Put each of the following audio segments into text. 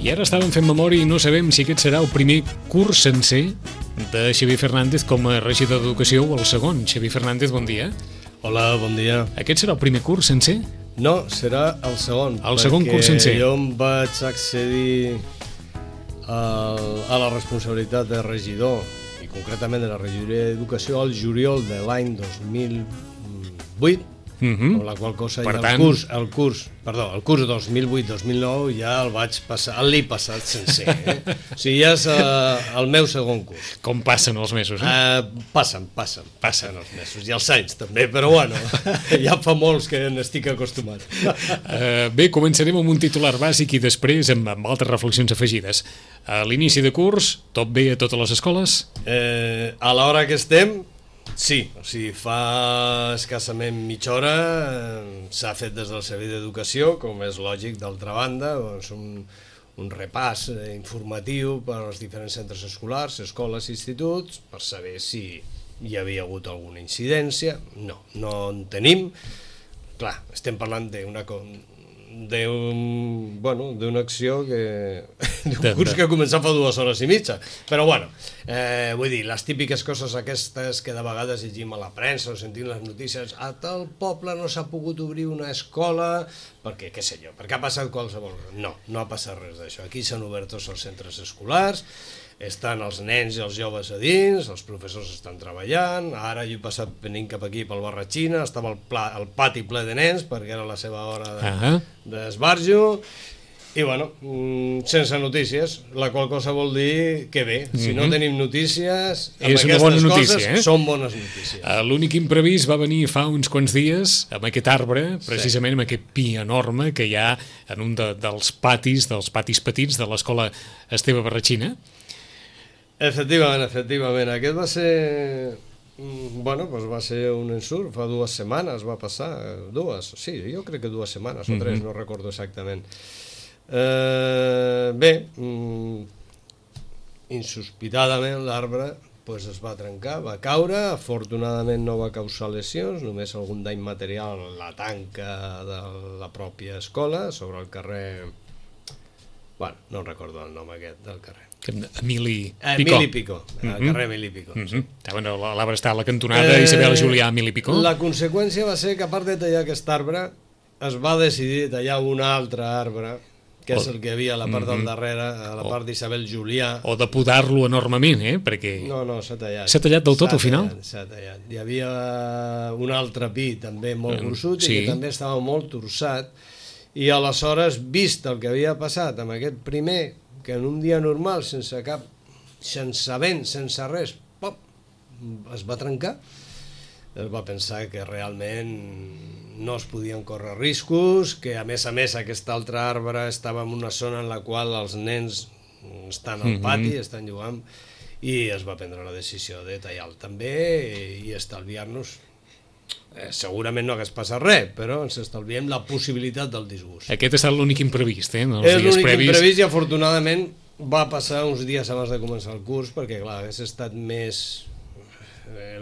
I ara estàvem fent memòria i no sabem si aquest serà el primer curs sencer de Xavier Fernández com a regidor d'Educació o el segon. Xavier Fernández, bon dia. Hola, bon dia. Aquest serà el primer curs sencer? No, serà el segon. El segon curs sencer. Jo em vaig accedir a la responsabilitat de regidor, i concretament de la regidoria d'Educació, al juliol de l'any 2008, amb la qual cosa ja el curs 2008-2009 ja el vaig passar, l'he passat sencer. O sigui, ja és el meu segon curs. Com passen els mesos, Passen els mesos, i els anys també, però bueno, ja fa molts que n'estic acostumat. Bé, començarem amb un titular bàsic i després amb altres reflexions afegides. A l'inici de curs, tot bé a totes les escoles? A l'hora que estem, sí, o sigui, fa escassament mitja hora s'ha fet des del Servei d'Educació, com és lògic, d'altra banda, doncs un repàs informatiu per als diferents centres escolars, escoles i instituts, per saber si hi havia hagut alguna incidència. No en tenim. Clar, estem parlant d'una acció d'un curs que ha començat fa 2 hores i mitja, però bueno, vull dir, les típiques coses aquestes que de vegades llegim a la premsa o sentim les notícies, a tal poble no s'ha pogut obrir una escola perquè, què sé jo, perquè ha passat qualsevol. No ha passat res d'això. Aquí s'han obert tots els centres escolars, estan els nens i els joves a dins, els professors estan treballant. Ara jo he passat venint cap aquí pel Barratxina, estava el pati ple de nens perquè era la seva hora d'esbarjo, i bueno, sense notícies, la qual cosa vol dir que bé, si no tenim notícies, amb aquestes coses són bones notícies. L'únic imprevist va venir fa uns quants dies amb aquest arbre, precisament amb aquest pi enorme que hi ha en un dels patis petits de l'escola Esteve Barratxina. Efectivament, aquest va ser... va ser un ensurt, fa 2 setmanes va passar, jo crec que 2 setmanes o 3, no recordo exactament. Bé, insospitadament l'arbre es va trencar, va caure, afortunadament no va causar lesions, només algun dany material a la tanca de la pròpia escola, sobre el carrer... Bueno, no recordo el nom aquest del carrer. Emili Picó, el carrer Emili Picó. L'arbre està a la cantonada Isabel Julià Emili Picó. La conseqüència va ser que, a part de tallar aquest arbre, es va decidir tallar un altre arbre, que és el que hi havia a la part del darrere, a la part d'Isabel Julià. O de podar-lo enormement, perquè... No, s'ha tallat. S'ha tallat del tot al final? S'ha tallat. Hi havia un altre pi també molt gruixut i que també estava molt torçat, i aleshores, vist el que havia passat amb aquest primer, que en un dia normal, sense vent, sense res, es va trencar, es va pensar que realment no es podien córrer riscos, que a més aquest altre arbre estava en una zona en la qual els nens estan al pati, estan jugant, i es va prendre la decisió de tallar-lo també i estalviar-nos. Segurament no hagués passat res, però ens estalviem la possibilitat del disgust. Aquest ha estat l'únic imprevist, És l'únic imprevist, i afortunadament va passar uns dies abans de començar el curs, perquè clar, hagués estat més...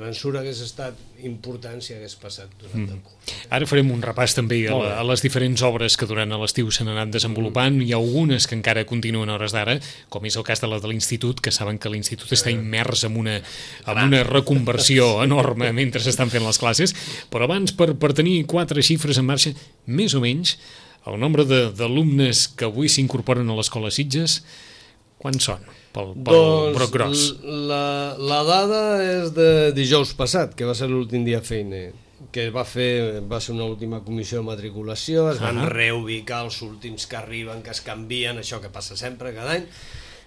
l'ensurt hagués estat important si hagués passat durant el curs. Ara farem un repàs també a les diferents obres que durant l'estiu s'han anat desenvolupant. Hi ha algunes que encara continuen a hores d'ara, com és el cas de la de l'Institut, que saben que l'Institut està immers en una reconversió enorme mentre s'estan fent les classes, però abans, per tenir 4 xifres en marxa, més o menys, el nombre d'alumnes que avui s'incorporen a l'Escola Sitges, quants són? Pel broc gros. La dada és de dijous passat, que va ser l'últim dia feina, que va ser una última comissió de matriculació, es van reubicar els últims que arriben, que es canvien, això que passa sempre cada any,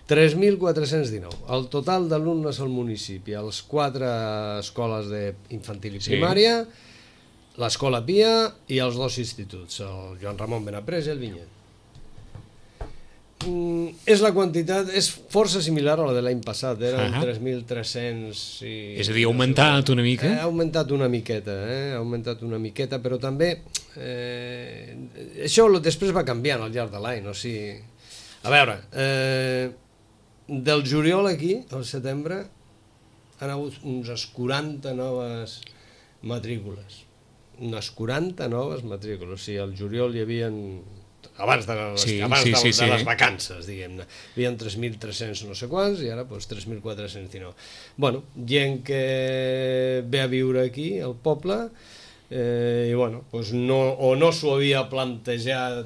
3.419. El total d'alumnes al municipi, a les 4 escoles d'infantil i primària, l'Escola Pia i els 2 instituts, el Joan Ramon Benaprés i el Vinyet. És la quantitat, és força similar a la de l'any passat, eren 3.300 i... És a dir, ha augmentat una mica? Ha augmentat una miqueta, però també això després va canviant al llarg de l'any, o sigui... A veure, del juliol aquí, al setembre, han hagut unes 40 noves matrícules. O sigui, al juliol hi havia abans de les vacances, diguem-ne. Hi havia 3.300 no sé quants i ara 3.419. Bueno, gent que ve a viure aquí, al poble, i bueno, o no s'ho havia plantejat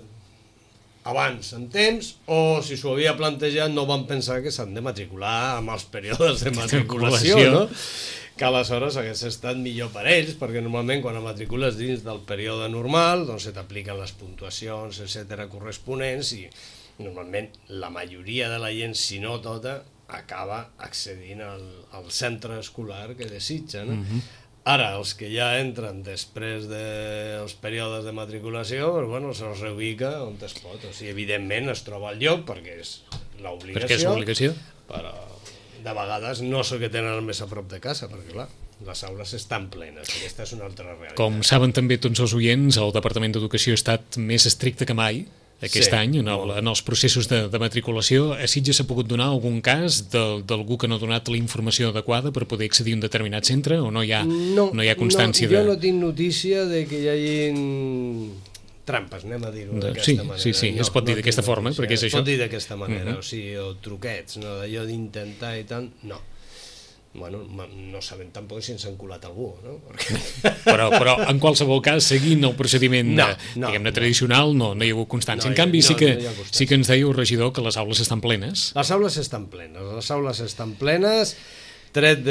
abans en temps, o si s'ho havia plantejat no van pensar que s'han de matricular amb els períodes de matriculació, no? Que aleshores hagués estat millor per ells, perquè normalment quan et matricules dins del període normal doncs se t'apliquen les puntuacions, etc corresponents, i normalment la majoria de la gent, si no tota, acaba accedint al centre escolar que desitja, no? Ara, els que ja entren després dels períodes de matriculació, doncs, bueno, se'ls reubica on es pot. O sigui, evidentment es troba al lloc perquè és l'obligació, però de vegades no és el que tenen el més a prop de casa, perquè clar, les aules estan plenes, aquesta és una altra realitat. Com saben també tots els oients, el Departament d'Educació ha estat més estricte que mai aquest any en els processos de matriculació. A Sitges s'ha pogut donar algun cas d'algú que no ha donat la informació adequada per poder accedir a un determinat centre, o no hi ha constància? Jo no tinc notícia de que hi hagin trampes, anem a dir-ho d'aquesta manera. Sí, es pot dir d'aquesta forma, perquè és això. Es pot dir d'aquesta manera, o truquets, d'allò d'intentar i tant, no. Bueno, no sabem tampoc si ens han colat algú, no? Però en qualsevol cas, seguint el procediment diguem-ne tradicional, no hi ha hagut constància. En canvi, sí que ens deia el regidor que les aules estan plenes. Les aules estan plenes, tret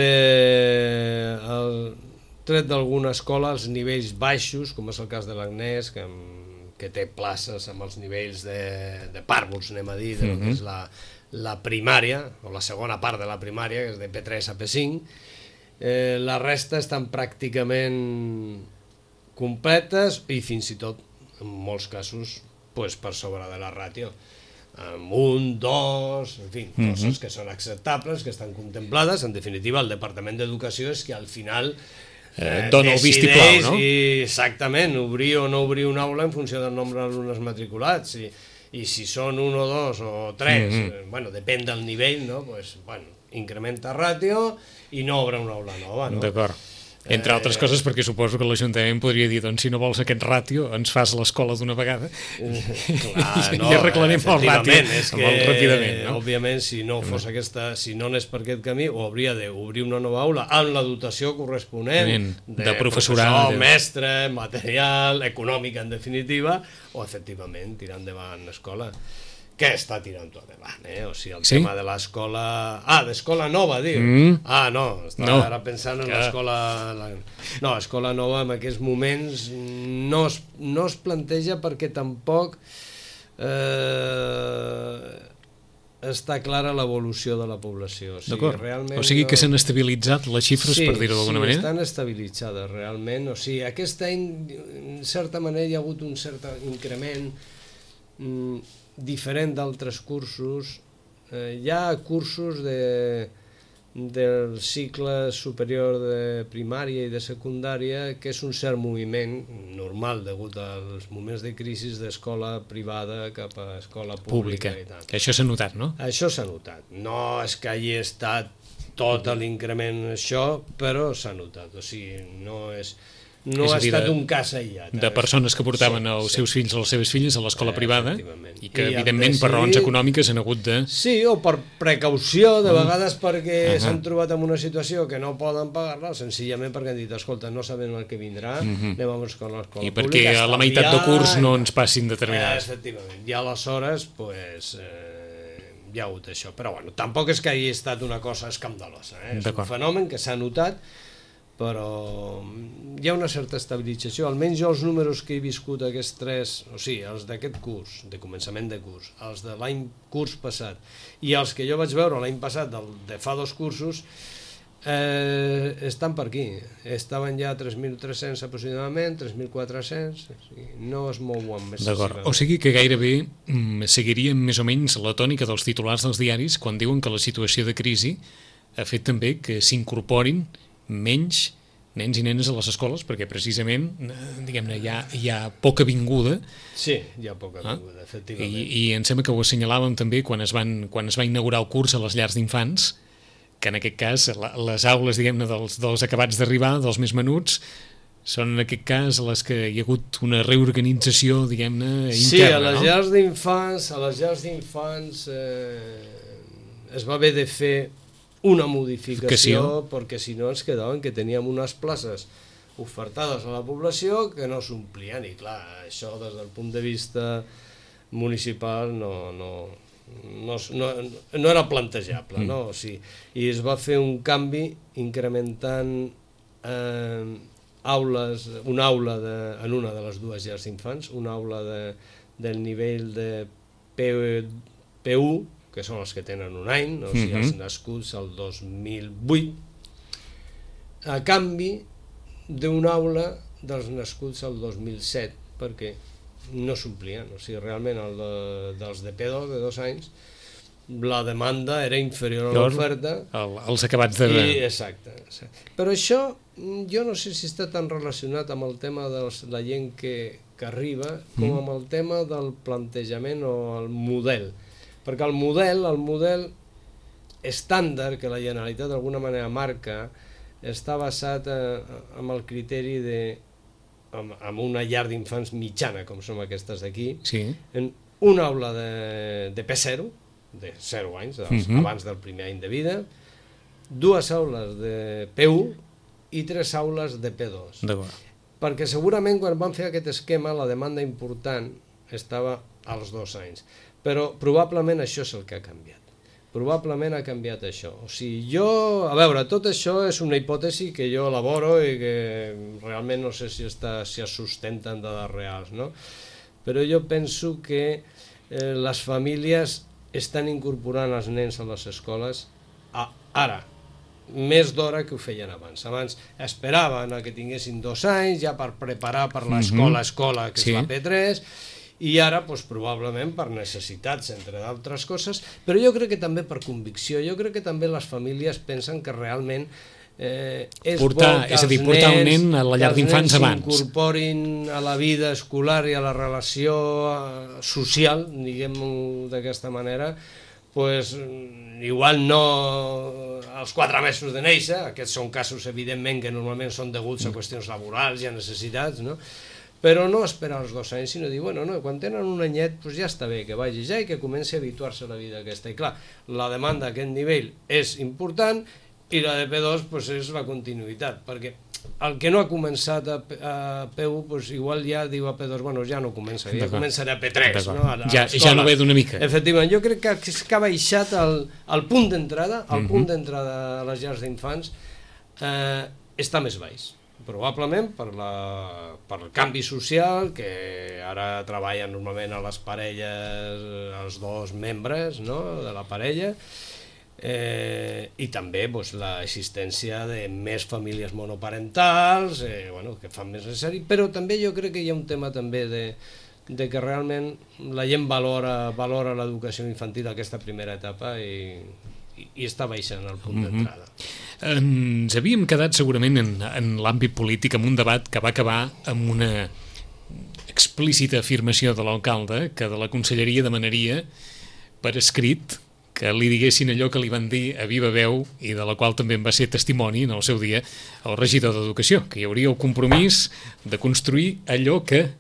d'alguna escola als nivells baixos, com és el cas de l'Agnès, que té places amb els nivells de pàrvuls, anem a dir, del que és la primària, o la segona part de la primària, que és de P3 a P5, la resta estan pràcticament completes i fins i tot, en molts casos, per sobre de la ràtio. Amb 1, 2, en fi, coses que són acceptables, que estan contemplades. En definitiva, el Departament d'Educació és que al final dona el vistiplau, no? Exactament, obrir o no obrir una aula en funció del nombre d'alumnes matriculats, i si són 1 o 2 o 3, bueno, depèn del nivell, no? Incrementa ràtio i no obre una aula nova, no? D'acord. Entre altres coses perquè suposo que l'Ajuntament podria dir, doncs si no vols aquest ràtio ens fas l'escola d'una vegada i arreglarem el ràtio molt ràpidament, no? Òbviament, si no anés per aquest camí, o hauria d'obrir una nova aula amb la dotació corresponent de professorat, mestre, material, econòmica en definitiva, o efectivament tirar endavant l'escola, que està tirant tot endavant, o sigui, el tema de l'escola... d'escola nova, diu? No, estava ara pensant en l'escola... No, escola nova en aquests moments no es planteja perquè tampoc està clara l'evolució de la població. D'acord, o sigui que s'han estabilitzat les xifres, per dir-ho d'alguna manera? Sí, estan estabilitzades realment, o sigui, aquest any, en certa manera, hi ha hagut un cert increment diferent d'altres cursos. Hi ha cursos del cicle superior de primària i de secundària que és un cert moviment normal degut als moments de crisi d'escola privada cap a escola pública i tant. Això s'ha notat, no? Això s'ha notat. No és que hagi estat tot l'increment això, però s'ha notat. O sigui, no ha estat un cas aïllat. De persones que portaven els seus fills o les seves filles a l'escola privada i que, evidentment, per raons econòmiques han hagut de... Sí, o per precaució, de vegades perquè s'han trobat en una situació que no poden pagar-la, senzillament perquè han dit, escolta, no sabem el que vindrà, anem a l'escola pública. I perquè a la meitat de curs no ens passin determinats. Efectivament. I aleshores, hi ha hagut això. Però, bueno, tampoc és que hagi estat una cosa escandalosa. És un fenomen que s'ha notat, però hi ha una certa estabilització. Almenys jo els números que he viscut aquests 3, o sigui, els d'aquest curs, de començament de curs, els de l'any curs passat, i els que jo vaig veure l'any passat, de fa 2 cursos, estan per aquí. Estaven ja a 3.300 aproximadament, 3.400, no es mouen més. D'acord, o sigui que gairebé seguiríem més o menys la tònica dels titulars dels diaris quan diuen que la situació de crisi ha fet també que s'incorporin menys nens i nenes a les escoles, perquè precisament, diguem-ne, hi ha poca vinguda. Sí, hi ha poca vinguda, efectivament. I em sembla que ho assenyalàvem també quan es va inaugurar el curs a les llars d'infants, que en aquest cas les aules, diguem-ne, dels acabats d'arribar, dels més menuts, són en aquest cas les que hi ha hagut una reorganització, diguem-ne, interna, sí, a les llars d'infants es va haver de fer una modificació perquè si no ens quedaven que teníem unes places ofertades a la població que no s'omplien i clar, això des del punt de vista municipal no era plantejable, no? O sigui, i es va fer un canvi incrementant aules, una aula en una de les dues llars d'infants, una aula del nivell de P1, que són els que tenen un any, o sigui, els nascuts al 2008, a canvi d'una aula dels nascuts al 2007, perquè no s'omplien, o sigui, realment dels de P2, de 2 anys, la demanda era inferior a l'oferta. Els acabats de... Exacte. Però això, jo no sé si està tan relacionat amb el tema de la gent que arriba, com amb el tema del plantejament o el model. Perquè el model estàndard que la Generalitat d'alguna manera marca està basat en el criteri de, amb una llar d'infants mitjana, com són aquestes d'aquí, en una aula de P0, de 0 anys, abans del primer any de vida, 2 aules de P1 i 3 aules de P2. Perquè segurament quan van fer aquest esquema la demanda important estava als 2 anys. Però probablement això és el que ha canviat. Probablement ha canviat això. O sigui, a veure, tot això és una hipòtesi que jo elaboro i que realment no sé si es sustenta en dades reals, no? Però jo penso que les famílies estan incorporant els nens a les escoles ara, més d'hora que ho feien abans. Abans esperaven que tinguessin 2 anys ja per preparar per l'escola, que és la P3, i ara probablement per necessitats, entre d'altres coses, però jo crec que també per convicció. Jo crec que també les famílies pensen que realment és bo que portar el nen a la llar d'infants abans, s'incorporin a la vida escolar i a la relació social, diguem-ho d'aquesta manera, igual no als 4 mesos de néixer, aquests són casos evidentment que normalment són deguts a qüestions laborals i a necessitats, no? Però no esperar els 2 anys, sinó dir, bueno, no, quan tenen un anyet ja està bé que vagi ja i que comenci a habituar-se a la vida aquesta. I clar, la demanda a aquest nivell és important i la de P2 és la continuïtat, perquè el que no ha començat a P1 igual ja diu a P2, bueno, ja no comença, ja començarà a P3. Ja no ve d'una mica. Efectivament, jo crec que ha baixat el punt d'entrada, a les llars d'infants està més baix. Probablement per el canvi social, que ara treballen normalment a les parelles, els 2 membres de la parella, i també l'existència de més famílies monoparentals, que fan més necessari, però també jo crec que hi ha un tema també de que realment la gent valora l'educació infantil a aquesta primera etapa i està baixant el punt d'entrada. Ens havíem quedat segurament en l'àmbit polític amb un debat que va acabar amb una explícita afirmació de l'alcalde que de la conselleria demanaria per escrit que li diguessin allò que li van dir a viva veu i de la qual també en va ser testimoni en el seu dia el regidor d'Educació, que hi hauria el compromís de construir allò que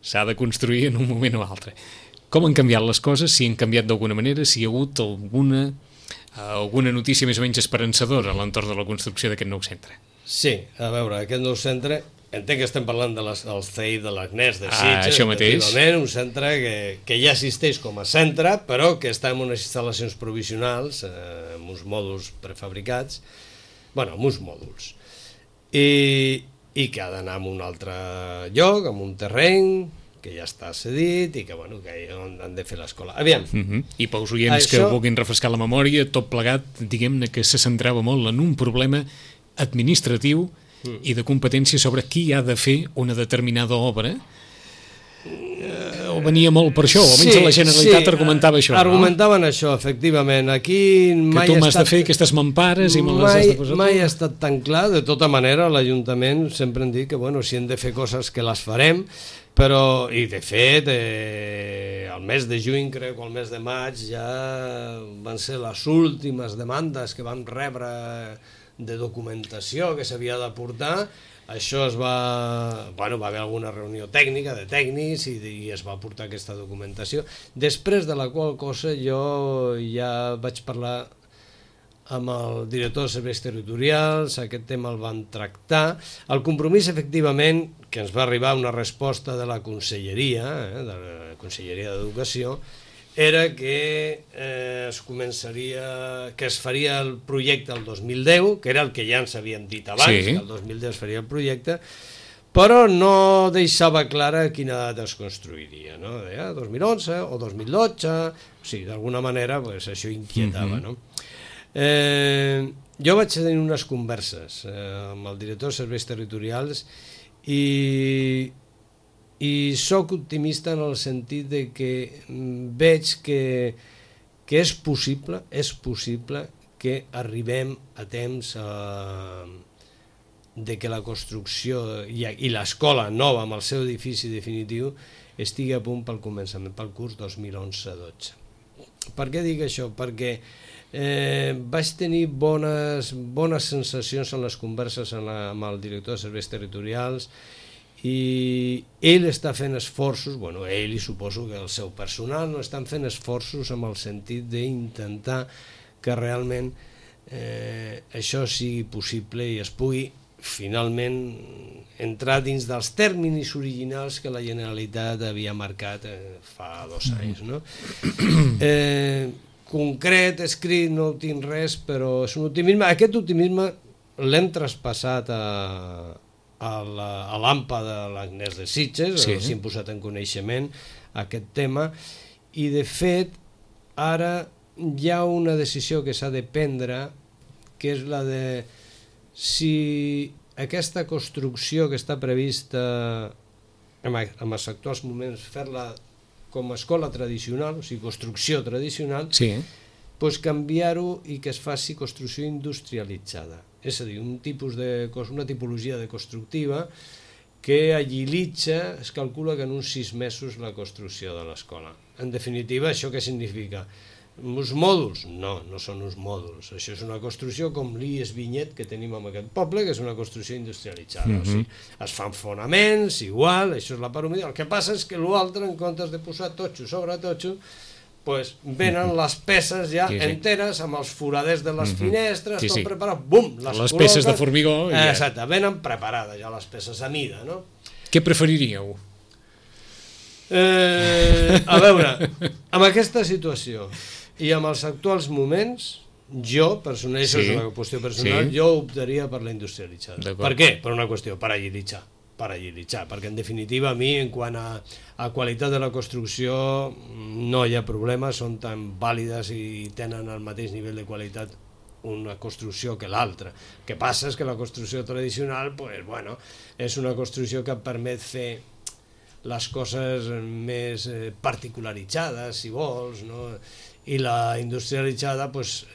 s'ha de construir en un moment o altre. Com han canviat les coses, si han canviat d'alguna manera, si hi ha hagut alguna notícia més o menys esperançadora a l'entorn de la construcció d'aquest nou centre? Sí, a veure, aquest nou centre, entenc que estem parlant del CEI de l'Agnès de Sitges, això mateix. Un centre que ja existeix com a centre, però que està en unes instal·lacions provisionals, amb uns mòduls prefabricats, amb uns mòduls, i que ha d'anar a un altre lloc, en un terreny, que ja està cedit i que han de fer l'escola. Aviam. I pels oients que vulguin refrescar la memòria, tot plegat, diguem-ne que se centrava molt en un problema administratiu i de competència sobre qui ha de fer una determinada obra. O venia molt per això, o almenys la Generalitat argumentava això. Argumentaven això, efectivament. Aquí que tu m'has de fer aquestes mampares i me les has de posar. Mai ha estat tan clar. De tota manera, l'Ajuntament sempre hem dit que si hem de fer coses que les farem, però, i de fet, el mes de juny, crec, o el mes de maig, ja van ser les últimes demandes que vam rebre de documentació que s'havia d'aportar Això es va... Bueno, va haver alguna reunió tècnica de tècnics i es va portar aquesta documentació, després de la qual cosa jo ja vaig parlar amb el director de serveis territorials, aquest tema el van tractar. El compromís, efectivament, que ens va arribar una resposta de la Conselleria, de la Conselleria d'Educació, era que es faria el projecte el 2010, que era el que ja ens havien dit abans, que el 2010 es faria el projecte, però no deixava clara a quina data es construiria, no? Deia 2011 o 2012, o sigui, d'alguna manera això inquietava, no? Jo vaig tenir unes converses amb el director de serveis territorials i sóc optimista en el sentit de que veig que és possible que arribem a temps de que la construcció i l'escola nova amb el seu edifici definitiu estigui a punt pel començament, pel curs 2011-12. Per què dic això? Perquè vaig tenir bones sensacions en les converses amb el director de serveis territorials i ell està fent esforços, ell i suposo que el seu personal no estan fent esforços amb el sentit d'intentar que realment això sigui possible i es pugui finalment entrar dins dels terminis originals que la Generalitat havia marcat fa 2 anys, no? Concret, escrit, no tinc res, però és un optimisme. Aquest optimisme l'hem traspassat a l'AMPA de l'Agnès de Sitges, els hem posat en coneixement aquest tema, i de fet ara hi ha una decisió que s'ha de prendre, que és la de si aquesta construcció que està prevista en els actuals moments, fer-la com a escola tradicional, o sigui, construcció tradicional, doncs canviar-ho i que es faci construcció industrialitzada. És a dir, una tipologia de constructiva que agilitza, es calcula que en uns 6 mesos la construcció de l'escola. En definitiva, això què significa? Uns mòduls? No, no són uns mòduls. Això és una construcció com l'IES Vinyet que tenim en aquest poble, que és una construcció industrialitzada. O sigui, es fan fonaments, igual, això és la part humida. El que passa és que l'altre, en comptes de posar totxo sobre totxo, venen les peces ja enteres, amb els foraders de les finestres, tot preparat, bum, les peces de formigó. Exacte, venen preparades ja les peces a mida, no? Què preferiríeu? A veure, amb aquesta situació i amb els actuals moments, jo, personalment, això és una qüestió personal, jo optaria per la industrialitzada. Per què? Per una qüestió, per agilitzar, perquè en definitiva a mi, en quant a qualitat de la construcció, no hi ha problema, són tan vàlides i tenen el mateix nivell de qualitat una construcció que l'altra. El que passa és que la construcció tradicional, és una construcció que permet fer les coses més particularitzades, si vols, no? I la industrialitzada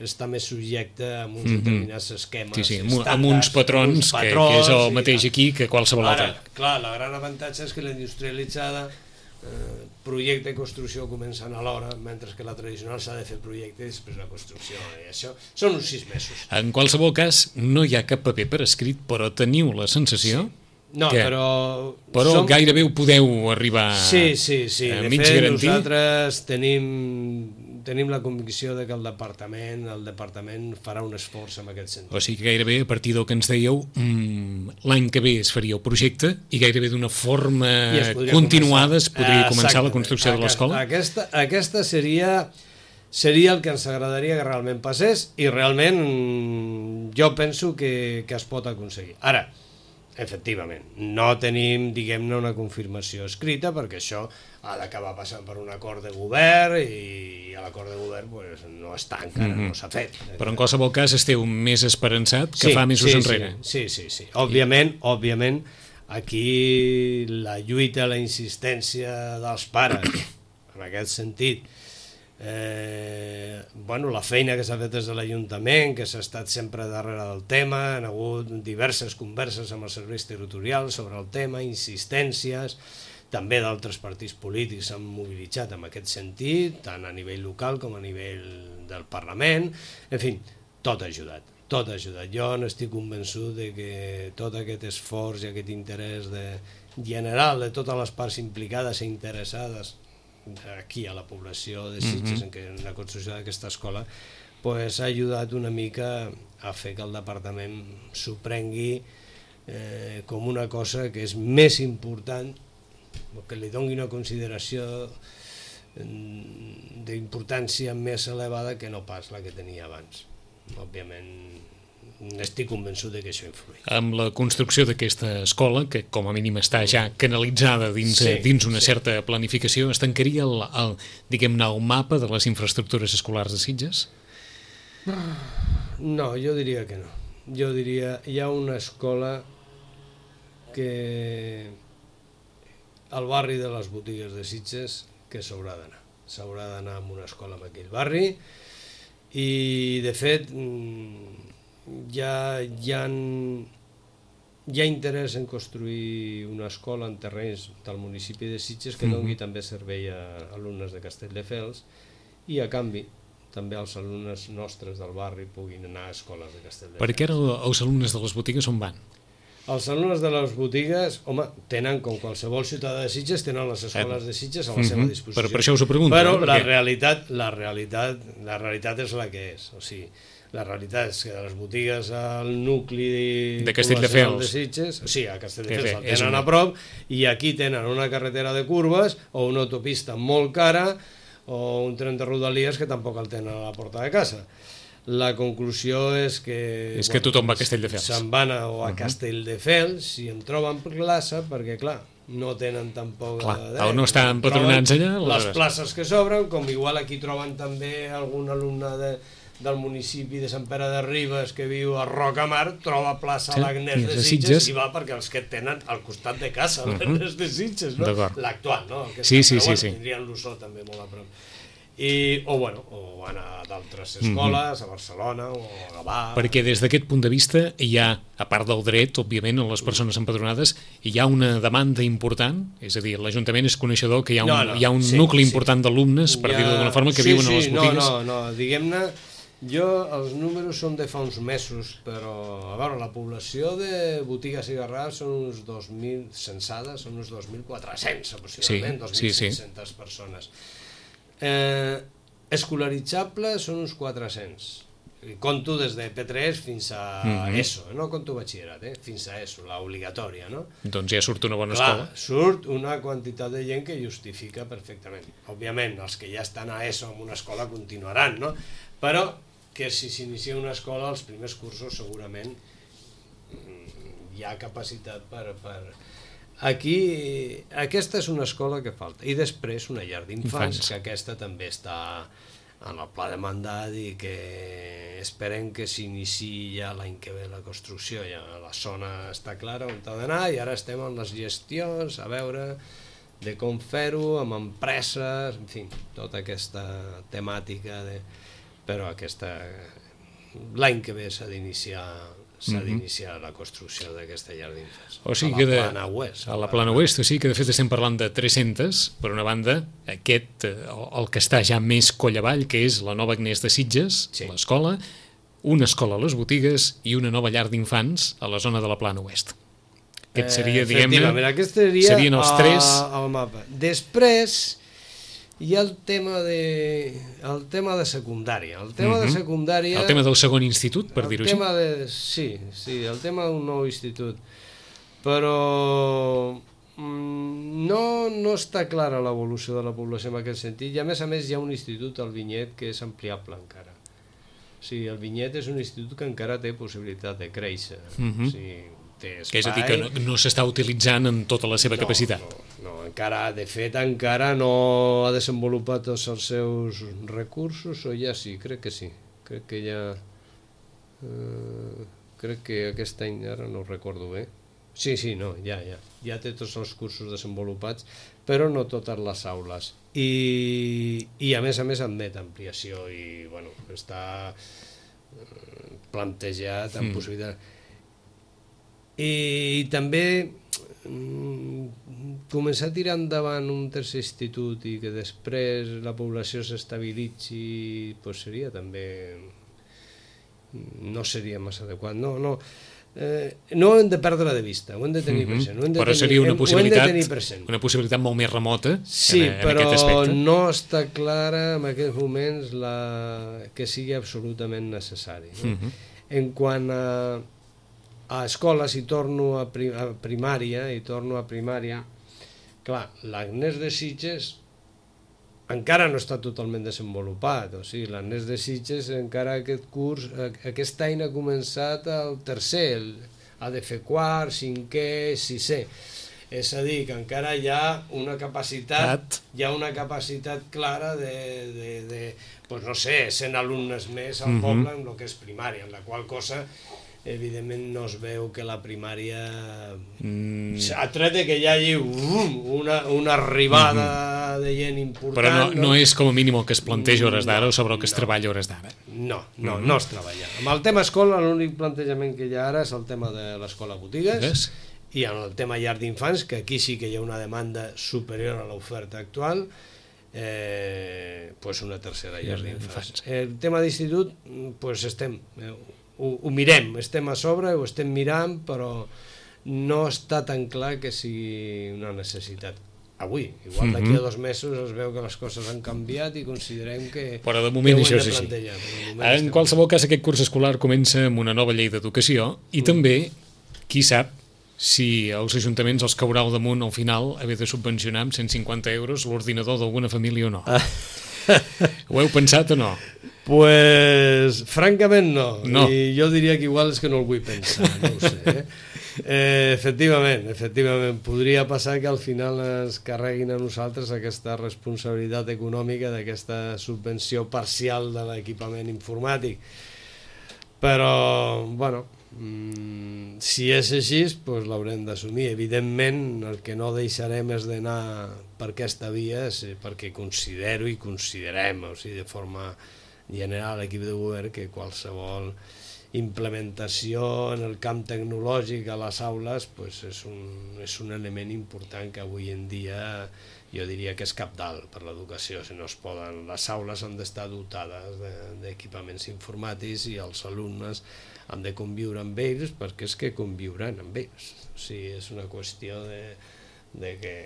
està més subjecta a uns determinats esquemes estàndards, amb uns patrons, que és el mateix aquí que qualsevol altre. Clar, el gran avantatge és que la industrialitzada projecte i construcció comencen alhora, mentre que la tradicional s'ha de fer projecte i després la construcció, i això són uns 6 mesos. En qualsevol cas, no hi ha cap paper per escrit, però teniu la sensació no, però gairebé ho podeu arribar a mig garantir. Nosaltres tenim la convicció de que el departament farà un esforç en aquest sentit. O sigui que gairebé a partir del que ens dèieu l'any que ve es faria el projecte i gairebé d'una forma continuada es podria començar la construcció de l'escola? Aquesta seria el que ens agradaria que realment passés i realment jo penso que es pot aconseguir. Ara, efectivament, no tenim, diguem-ne, una confirmació escrita perquè això ha d'acabar passant per un acord de govern i l'acord de govern no està encara, no s'ha fet. Però en qualsevol cas esteu més esperançat que fa mesos enrere. Sí. Òbviament, aquí la lluita, la insistència dels pares, en aquest sentit, la feina que s'ha fet des de l'Ajuntament, que s'ha estat sempre darrere del tema, han hagut diverses converses amb els serveis territorials sobre el tema, insistències, també d'altres partits polítics s'han mobilitzat en aquest sentit, tant a nivell local com a nivell del Parlament, en fi, tot ha ajudat. tot ha ajudat. Jo n'estic convençut de que tot aquest esforç i aquest interès general de totes les parts implicades i interessades aquí a la població de Sitges en la construcció d'aquesta escola pues, ha ajudat una mica a fer que el departament s'ho prengui com una cosa que és més important, que li doni una consideració d'importància més elevada que no pas la que tenia abans. Òbviament, estic convençut que això influeix. Amb la construcció d'aquesta escola, que com a mínim està ja canalitzada dins una certa planificació, es tancaria diguem-ne, el mapa de les infraestructures escolars de Sitges? No, jo diria que no. Jo diria, hi ha una escola que al barri de les botigues de Sitges que s'haurà d'anar. S'haurà d'anar a una escola en aquell barri i, de fet, hi ha interès en construir una escola en terrenys del municipi de Sitges que doni també servei a alumnes de Castelldefels i, a canvi, també els alumnes nostres del barri puguin anar a escoles de Castelldefels. Per què els alumnes de les botigues on van? Els alumnes de les botigues, home, tenen, com qualsevol ciutadà de Sitges, tenen les escoles de Sitges a la seva disposició. Per això us ho pregunto. Però la realitat és la que és. O sigui, la realitat és que de les botigues al nucli de Castelldefels de Sitges, o sigui, a Castelldefels el tenen a prop i aquí tenen una carretera de curves o una autopista molt cara o un tren de rodalies que tampoc el tenen a la porta de casa. La conclusió és que... És que tothom va a Castelldefels. Se'n van a Castelldefels i en troben plaça perquè, clar, no tenen tampoc... Clar, no estan patronats allà. Les places que s'obren, com igual aquí troben també algun alumne del municipi de Sant Pere de Ribes que viu a Rocamar, troba plaça a l'Agnès de Sitges i va perquè els que tenen al costat de casa l'Agnès de Sitges, no? L'actual, no? Sí. Tindrien l'Ossó també molt a prop. O van a d'altres escoles, a Barcelona o a Gavà... Perquè des d'aquest punt de vista hi ha, a part del dret, òbviament, a les persones empadronades, hi ha una demanda important, és a dir, l'Ajuntament és coneixedor que hi ha un nucli important d'alumnes, per dir-ho d'alguna forma, que viuen a les botigues. No, diguem-ne, els números són de fa uns mesos, però, a veure, la població de botigues i garrars són uns 2.000 censades, són uns 2.400 aproximadament, 2.500 persones. Escolaritzables són uns 400. Conto des de P3 fins a ESO, no conto batxillerat, fins a ESO, l'obligatòria, no? Doncs ja surt una bona escola. Surt una quantitat de gent que justifica perfectament. Òbviament, els que ja estan a ESO en una escola continuaran, no? Però que si s'inicia una escola, els primers cursos segurament hi ha capacitat per... Aquí, aquesta és una escola que falta. I després una llar d'infants, que aquesta també està en el pla de mandat i que esperem que s'iniciï ja l'any que ve la construcció. Ja la zona està clara on ha d'anar i ara estem en les gestions, a veure de com fer-ho, amb empreses, en fi, tota aquesta temàtica. Però l'any que ve s'ha d'iniciar la construcció d'aquesta llar d'infants. O sigui que a la Plana Oest, o sigui que de fet estem parlant de 300, per una banda, el que està ja més coll avall, que és la nova Agnès de Sitges, l'escola, una escola a les botigues i una nova llar d'infants a la zona de la Plana Oest. Aquest seria, diguem-ne, serien els tres... al mapa. Després hi ha el tema de secundària. El tema de secundària... El tema del segon institut, per dir-ho així. Sí, el tema d'un nou institut. Però no està clara l'evolució de la població en aquest sentit i a més hi ha un institut al Vinyet que és ampliable encara. O sigui, el Vinyet és un institut que encara té possibilitat de créixer. O sigui, té espai... Que és a dir, que no s'està utilitzant en tota la seva capacitat. No, encara, de fet, encara no ha desenvolupat tots els seus recursos, o ja sí, crec que sí. Crec que ja... crec que aquest any, ara no ho recordo bé. Sí, no, ja té tots els cursos desenvolupats, però no totes les aules. I a més admet ampliació i, bueno, està plantejat amb possibilitat. I també començar a tirar endavant un tercer institut i que després la població s'estabilitzi, doncs seria també no seria massa adequat. No ho hem de perdre de vista, ho hem de tenir present. Però seria una possibilitat molt més remota en aquest aspecte. Però no està clara en aquests moments que sigui absolutament necessari. En quant a escoles, i torno a primària, clar, l'Agnès de Sitges encara no està totalment desenvolupat, o sigui, l'Agnès de Sitges encara aquest any ha començat el tercer, ha de fer quart, cinquè, sisè, és a dir, que encara hi ha una capacitat clara de no sé, 100 alumnes més al poble en el que és primària, en la qual cosa evidentment no es veu que la primària a tret que hi hagi una arribada de gent important, però no és com a mínim el que es planteja hores d'ara o sobre el que es treballa hores d'ara. No es treballa. Amb el tema escola l'únic plantejament que hi ha ara és el tema de l'escola botigues i en el tema llar d'infants, que aquí sí que hi ha una demanda superior a l'oferta actual, una tercera llar d'infants. El tema d'institut ho mirem, estem a sobre, ho estem mirant, però no està tan clar que sigui una necessitat avui. Igual d'aquí a 2 mesos es veu que les coses han canviat i considerem que però de moment això és així. En qualsevol cas, aquest curs escolar comença amb una nova llei d'educació i també, qui sap, si als ajuntaments els caurà al damunt al final haver de subvencionar amb 150 euros l'ordinador d'alguna família o no. Ho heu pensat o no? Pues, francament no. I jo diria que igual és que no el vull pensar, no ho sé. Efectivament, podria passar que al final ens carreguin a nosaltres aquesta responsabilitat econòmica d'aquesta subvenció parcial de l'equipament informàtic. Però, bueno, si és així, doncs l'haurem d'assumir. Evidentment, el que no deixarem és d'anar per aquesta via, perquè considero i considerem, o sigui, de forma general, l'equip de govern, que qualsevol implementació en el camp tecnològic a les aules és un element important que avui en dia jo diria que és cabdal per l'educació. Si no es poden, les aules han d'estar dotades d'equipaments informàtics i els alumnes han de conviure amb ells perquè és que conviuran amb ells. O sigui, és una qüestió de que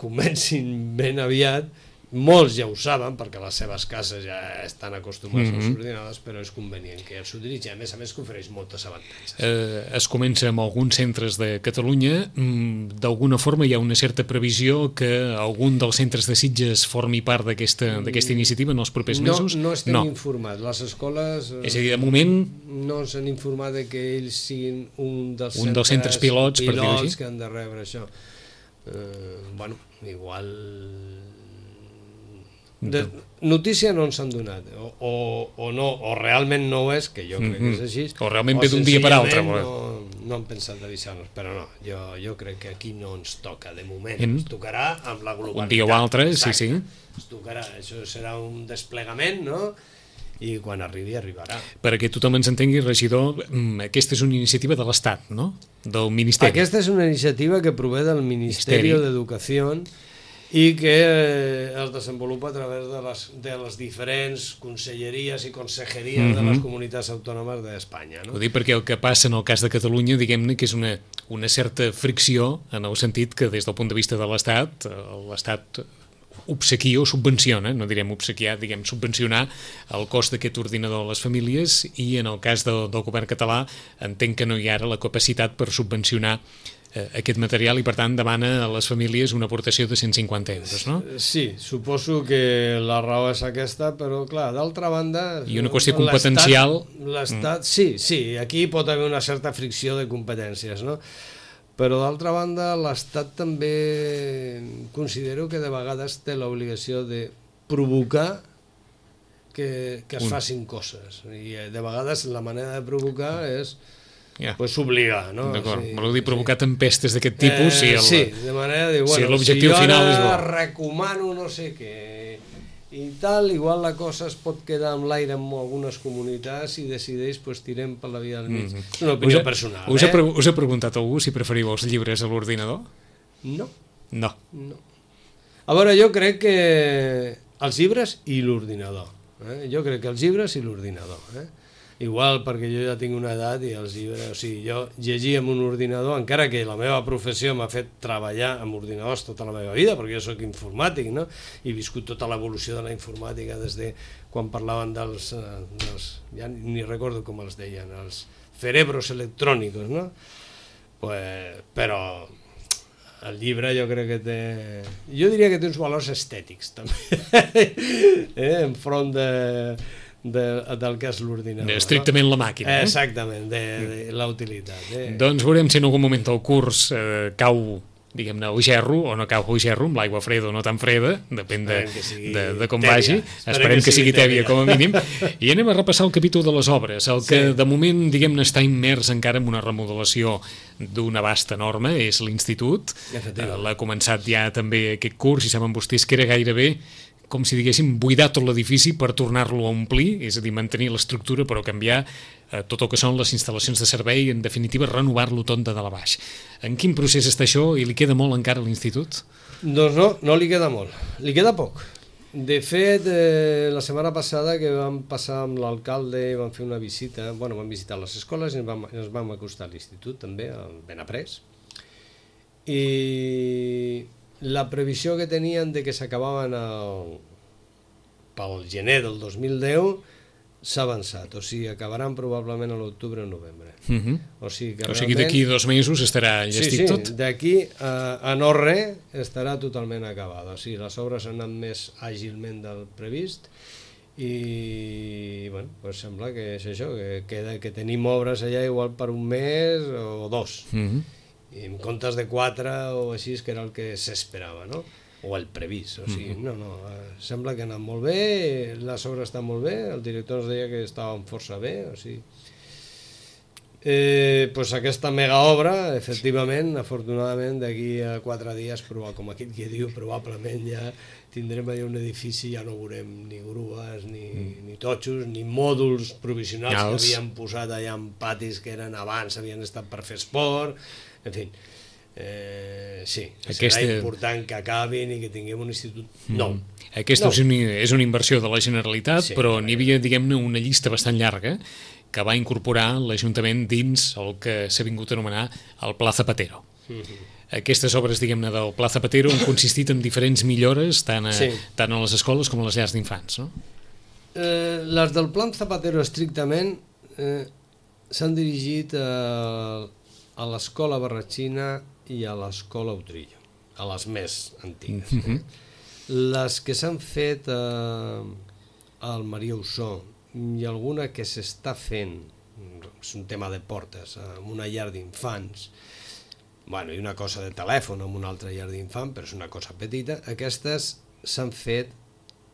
comencin ben aviat. Molts ja ho saben perquè les seves cases ja estan acostumats als ordinadors, però és convenient que els utilitzin, a més que ofereix moltes avantatges. Es comença amb alguns centres de Catalunya. D'alguna forma hi ha una certa previsió que algun dels centres de Sitges formi part d'aquesta iniciativa en els propers mesos? No estem informats. Les escoles... És a dir, de moment... No ens han informat que ells siguin un dels centres pilots per dir-ho així, que han de rebre això. Bueno, igual... De notícia no ens han donat o realment no ho és, que jo crec que és així, o realment ve d'un dia per altre. No han pensat d'avisar-nos, però no, jo crec que aquí no ens toca de moment, ens tocarà amb la globalitat, un dia o altre. Sí. Ens tocarà, això serà un desplegament, no? I quan arribarà. Perquè tothom ens entengui, regidor, aquesta és una iniciativa de l'Estat, no? Del Ministeri. Aquesta és una iniciativa que prové del Ministeri d'Educació i que es desenvolupa a través de les diferents conselleries i consejeries de les comunitats autònomes d'Espanya. Ho dic perquè el que passa en el cas de Catalunya, diguem-ne que és una certa fricció en el sentit que des del punt de vista de l'Estat, l'Estat obsequia o subvenciona, no direm obsequiar, diguem subvencionar el cost d'aquest ordinador a les famílies, i en el cas del govern català entenc que no hi ha ara la capacitat per subvencionar aquest material i per tant demana a les famílies una aportació de 150 euros, no? Sí, suposo que la raó és aquesta, però clar, d'altra banda... I una qüestió competencial... L'Estat, sí, aquí pot haver una certa fricció de competències, no? Però d'altra banda l'Estat també considero que de vegades té l'obligació de provocar que es facin coses, i de vegades la manera de provocar és obligar, no? D'acord, voleu dir provocar tempestes d'aquest tipus? Sí, de manera de, si l'objectiu final és bo. Si jo ara recomano no sé què i tal, igual la cosa es pot quedar amb l'aire en algunes comunitats i decideix, tirem per la via del mig. És una opinió personal. Us ha preguntat algú si preferiu els llibres a l'ordinador? No. A veure, jo crec que els llibres i l'ordinador. Jo crec que els llibres i l'ordinador. igual perquè jo ja tinc una edat i els llibres, o sigui, jo llegia amb un ordinador, encara que la meva professió m'ha fet treballar amb ordinadors tota la meva vida, perquè jo sóc informàtic, no? I he viscut tota l'evolució de la informàtica des de quan parlaven dels ja ni recordo com els deien, els cerebros electrònicos, no? Pues, però el llibre jo crec que té... Jo diria que té uns valors estètics, també, enfront del que és l'ordinador. Estrictament la màquina. Exactament, de la utilitat. Doncs veurem si en algun moment el curs cau, diguem-ne, o gerro, o no cau o gerro, amb l'aigua freda o no tan freda, depèn de com vagi. Esperem que sigui tèbia, com a mínim. I anem a repassar el capítol de les obres, el que de moment, diguem-ne, està immers encara en una remodelació d'un abast enorme, és l'institut. L'ha començat ja també aquest curs, i saben vostès que era gairebé com si diguéssim buidar tot l'edifici per tornar-lo a omplir, és a dir, mantenir l'estructura però canviar tot el que són les instal·lacions de servei, en definitiva renovar-lo tot de dalt a baix. En quin procés està això i li queda molt encara a l'institut? Doncs no li queda molt, li queda poc. De fet, la setmana passada que vam passar amb l'alcalde i vam fer una visita, vam visitar les escoles i ens vam acostar a l'institut també, al Benaprés, i la previsió que tenien de que s'acabaven pel gener del 2010 s'ha avançat, o sigui, acabaran probablement a l'octubre o novembre. O sigui, d'aquí 2 mesos estarà llestit tot? Sí, d'aquí a no res estarà totalment acabada, o sigui, les obres han anat més àgilment del previst i, bueno, pues sembla que és això, que tenim obres allà igual per un mes o 2. I en comptes de 4 o així, que era el que s'esperava, no? O el previst, o sigui, sembla que ha anat molt bé, les obres estan molt bé, el director ens deia que estaven força bé, o sigui... Pues aquesta mega obra, efectivament, afortunadament, d'aquí a 4 dies, com aquell que diu, probablement ja tindrem allà un edifici, ja no veurem ni grues, ni totxos, ni mòduls provisionals que havien posat allà en patis que eren abans, havien estat per fer esport, en fi, sí, serà important que acabin i que tinguem un institut nou. Aquesta és una inversió de la Generalitat, però n'hi havia, diguem-ne, una llista bastant llarga que va incorporar l'Ajuntament dins el que s'ha vingut a anomenar el Pla Zapatero. Aquestes obres, diguem-ne, del Pla Zapatero han consistit en diferents millores tant a les escoles com a les llars d'infants, no? Les del Pla Zapatero estrictament s'han dirigit a l'escola Barratxina i a l'escola Utrillo, a les més antigues. Les que s'han fet al Maria Ossó i alguna que s'està fent, és un tema de portes, en una llar d'infants, i una cosa de telèfon en una altra llar d'infant, però és una cosa petita, aquestes s'han fet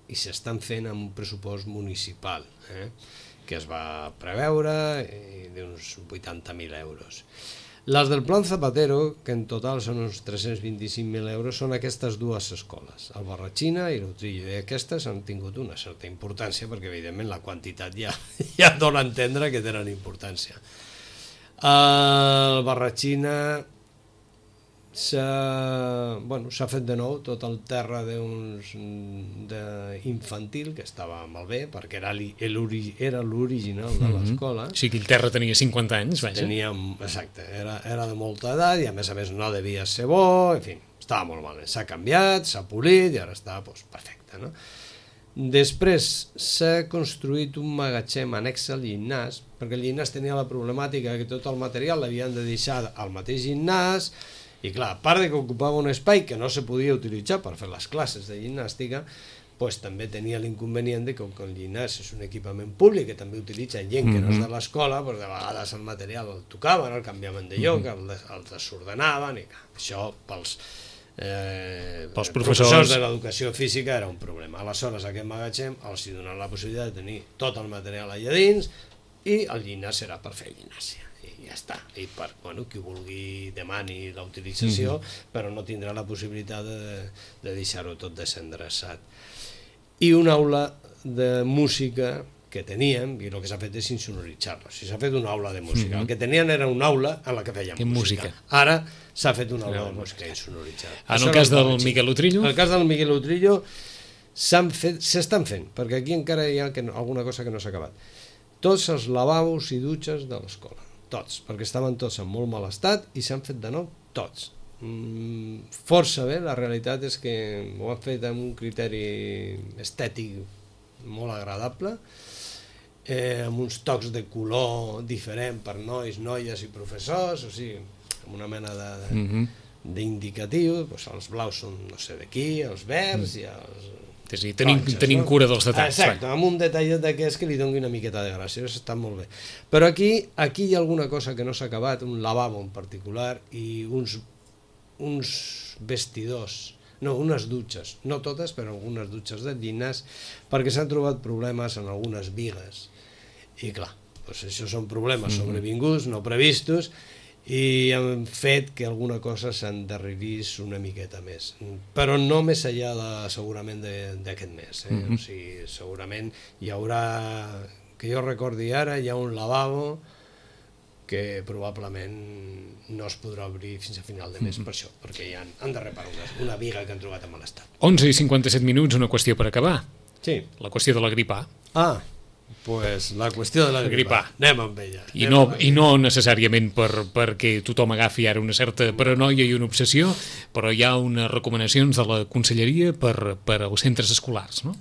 i s'estan fent amb un pressupost municipal, que es va preveure d'uns 80.000 euros. Les del Plan Zapatero, que en total són uns 325.000 euros, són aquestes 2 escoles, el Barratxina i l'Utrillo, i aquestes han tingut una certa importància perquè evidentment la quantitat ja dona a entendre que tenen importància. El Barratxina s'ha fet de nou tot el terra infantil, que estava malbé, perquè era l'original de l'escola. O sigui, el terra tenia 50 anys, vaja. Exacte, era de molta edat i a més no devia ser bo, en fi, estava molt mal. S'ha canviat, s'ha polit i ara està perfecte, no? Després s'ha construït un magatzem annex al gimnàs, perquè el gimnàs tenia la problemàtica que tot el material l'havien de deixar al mateix gimnàs. I clar, a part que ocupava un espai que no se podia utilitzar per fer les classes de gimnàstica, també tenia l'inconvenient que com que el gimnàs és un equipament públic que també utilitza gent que no és de l'escola, de vegades el material el tocaven, el canviaven de lloc, el desordenaven, i això pels professors de l'educació física era un problema. Aleshores aquest magatzem els donen la possibilitat de tenir tot el material allà dins i el gimnàs serà per fer gimnàsia. I ja està, i per qui vulgui demani la utilització, però no tindrà la possibilitat de deixar-ho tot desendreçat. I una aula de música que teníem, i el que s'ha fet és insonoritzar-la. S'ha fet una aula de música. El que tenien era una aula en la que fèiem música. Ara s'ha fet una aula de música insonoritzada. En el cas del Miguel Utrillo? En el cas del Miguel Utrillo s'estan fent, perquè aquí encara hi ha alguna cosa que no s'ha acabat. tots els lavabos i dutxes de l'escola, tots, perquè estaven tots en molt mal estat i s'han fet de nou tots. Força bé, la realitat és que ho han fet amb un criteri estètic molt agradable, amb uns tocs de color diferent per nois, noies i professors, o sigui, amb una mena d'indicatiu, doncs els blaus són no sé de qui, els verds i els... És a dir, tenim cura dels detalls. Exacte, amb un detallet d'aquests que li doni una miqueta de gràcia, això està molt bé. Però aquí hi ha alguna cosa que no s'ha acabat, un lavabo en particular i uns vestidors, no, unes dutxes, no totes, però algunes dutxes de llinars, perquè s'han trobat problemes en algunes bigues. I clar, doncs això són problemes sobrevinguts, no previstos, i han fet que alguna cosa s'endarrerís una miqueta més, però no més enllà segurament d'aquest mes, o sigui, segurament hi haurà, que jo recordi ara, hi ha un lavabo que probablement no es podrà obrir fins a final de mes per això, perquè ja han de reparar una viga que han trobat en mal estat. 11:57, una qüestió per acabar. Sí. La qüestió de la grip A. Pues la qüestió de la grip A. Anem amb ella. I no necessàriament perquè tothom agafi ara una certa paranoia i una obsessió, però hi ha unes recomanacions de la Conselleria per als centres escolars, no?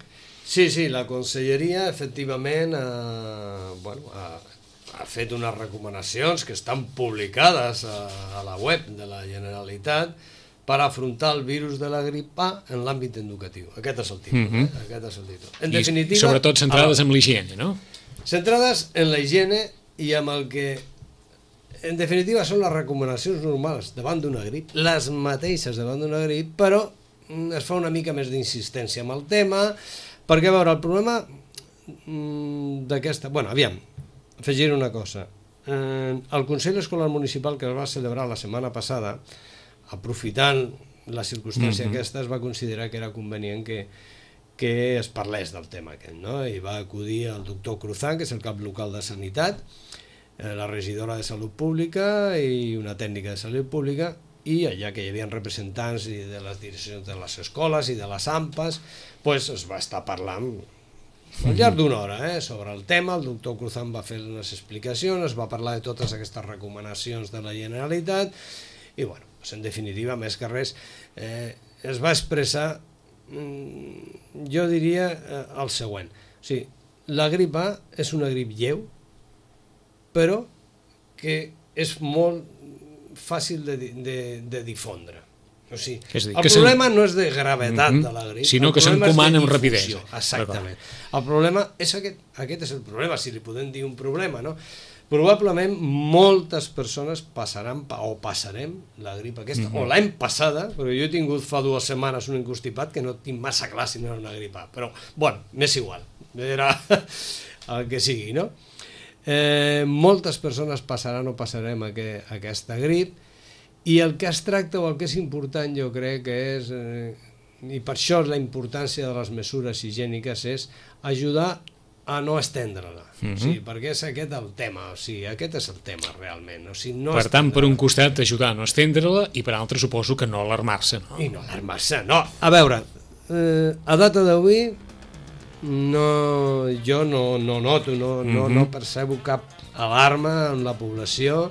Sí, la Conselleria efectivament ha fet unes recomanacions que estan publicades a la web de la Generalitat per afrontar el virus de la grip A en l'àmbit educatiu. Aquest és el títol. Aquest és el títol. En definitiva, i sobretot centrades en l'higiene, no? Centrades en la higiene i amb el que, en definitiva, són les recomanacions normals davant d'una grip, les mateixes davant d'una grip, però es fa una mica més d'insistència amb el tema, perquè, a veure, el problema d'aquesta... Bueno, aviam, afegir una cosa. El Consell Escolar Municipal que es va celebrar la setmana passada, aprofitant la circumstància aquesta, es va considerar que era convenient que es parlés del tema aquest, no? I va acudir el doctor Cruzán, que és el cap local de Sanitat, la regidora de Salut Pública i una tècnica de Salut Pública, i allà que hi havia representants de les direccions de les escoles i de les AMPAs, pues es va estar parlant al llarg d'una hora sobre el tema. El doctor Cruzán va fer unes explicacions, es va parlar de totes aquestes recomanacions de la Generalitat i, bueno, en definitiva, més que res, es va expressar, jo diria, el següent. O sigui, la grip A és una grip lleu, però que és molt fàcil de difondre. O sigui, el problema no és de gravetat de la grip, sinó que s'encomana amb rapidesa. Exactament. El problema és aquest és el problema, si li podem dir un problema, no? Probablement moltes persones passarem la grip aquesta, o l'any passada, però jo he tingut fa 2 setmanes un encostipat que no tinc massa clar si no era una grip A, però, bueno, m'és igual, era el que sigui, no? Moltes persones passaran o passarem aquesta grip, i el que es tracta o el que és important, jo crec que és, i per això la importància de les mesures higièniques és ajudar a no estendre-la, perquè és aquest el tema, aquest és el tema realment. Per tant, per un costat, ajudar a no estendre-la, i per altre suposo que no alarmar-se, no? I no alarmar-se, no. A veure, a data d'avui jo no noto, no percebo cap alarma en la població,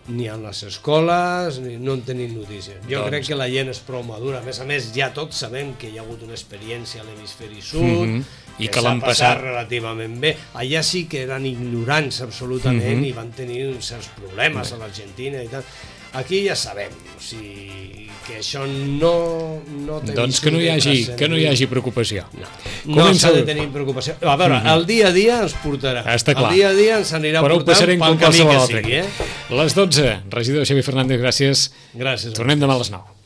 ni en les escoles, no en tenim notícies. Jo crec que la gent és prou madura. A més, ja tots sabem que hi ha hagut una experiència a l'hemisferi sud, que l'han passat relativament bé. Allà sí que eren ignorants absolutament i van tenir certs problemes a l'Argentina i tal. Aquí ja sabem, que això no té... Doncs que no hi hagi preocupació. No s'ha de tenir preocupació. A veure, el dia a dia ens portarà. Està clar. El dia a dia ens anirà portant pel camí que sigui. Les 12, regidor Xavier Fernández, gràcies. Gràcies. Tornem demà a les 9.